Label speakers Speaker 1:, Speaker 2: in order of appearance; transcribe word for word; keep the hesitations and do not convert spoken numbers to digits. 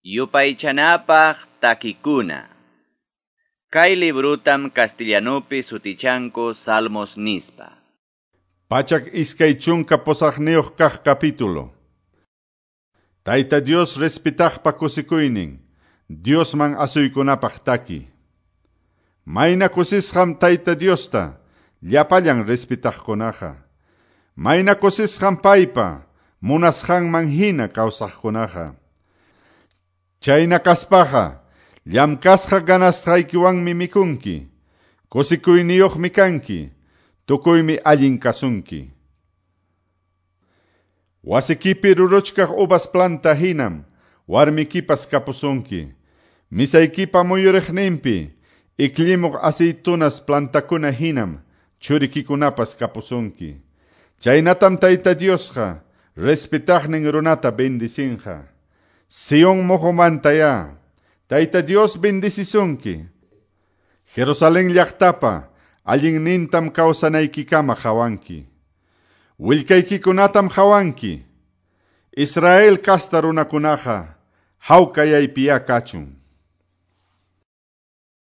Speaker 1: Yupaychanapaq takikuna. Kay librutam castellanupi sutichanku Salmos nispa.
Speaker 2: Pachak iskay chunka pusaqniyuq kaq capítulo. Tayta Dios respetaqpa kusikuynin, Diosman asuykunapaq taki. Mayna kusisqam Tayta Diosta, llapallan respetaqkunaqa. Mayna kusisqam paypa, munasqanman hina kawsaqkunaqa. Chayna kaspaqa, llamkasqa ganasqaykiwanmi mikunki, kusikuyniyuqmi kanki, tukuymi allin kasunki. Wasikipi ruruchkaq uvas planta hinam, warmikipas kapusunki. Misaykipa muyuriqninpi, iklimuq aceitunas plantakuna hinam, churikikunapas kapusunki. Chaynatam Tayta Diosqa, respetaqnin runata bendicinqa. Sion moqomantaya, Tayta Dios bendicisunki. Jerusalén llaqtapa, allinnintam kawsanaykikama hawanki. Willkaykikunatam hawanki. Israel kasta runakunaqa, hawkayaypiya kachun.